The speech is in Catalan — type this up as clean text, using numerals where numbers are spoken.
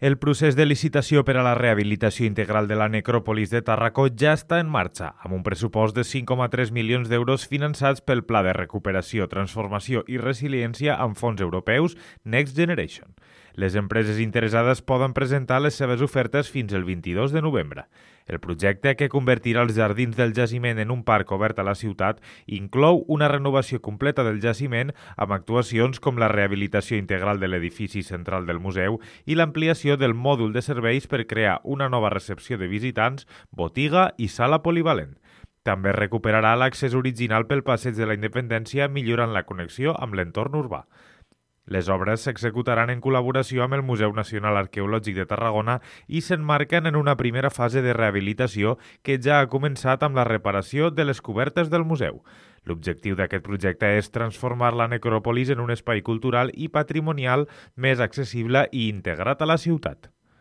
El procés de licitació per a la rehabilitació integral de la necròpolis de Tàrraco ja està en marxa, amb un pressupost de 5,3 milions d'euros finançats pel Pla de Recuperació, Transformació i Resiliència amb fons europeus Next Generation. Les empreses interessades poden presentar les seves ofertes fins el 22 de novembre. El projecte, que convertirà els jardins del jaciment en un parc obert a la ciutat, inclou una renovació completa del jaciment amb actuacions com la rehabilitació integral de l'edifici central del museu i l'ampliació del mòdul de serveis per crear una nova recepció de visitants, botiga i sala polivalent. També recuperarà l'accés original pel Passeig de la Independència, millorant la connexió amb l'entorn urbà. Les obres s'executaran en col·laboració amb el Museu Nacional Arqueològic de Tarragona i s'emmarquen en una primera fase de rehabilitació que ja ha començat amb la reparació de les cobertes del museu. L'objectiu d'aquest projecte és transformar la necròpolis en un espai cultural i patrimonial més accessible i integrat a la ciutat.